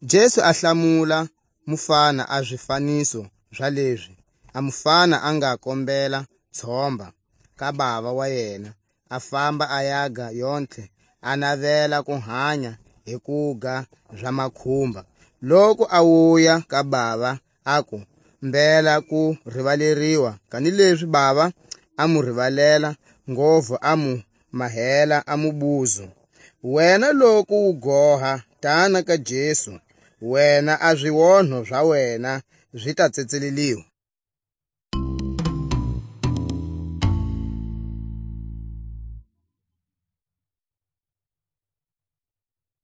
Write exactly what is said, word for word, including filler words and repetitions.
Jesu a hlamula mufana a zifaniso za lezi a mufana a nga kombela tshomba ka bava wa yena, a famba a yaga yontlhe, a navela ku hanya hi kuga za makhumba. Loku a wuya ka bava, aku, "Mbela ku rivaleriwa," kanilezi bava a mu rivalela, ngopfu a mu mahela a mubuzo. Wena loku wu goha, tana ka Jesu, wena a zionho za wena zi ta tsetseleliwa.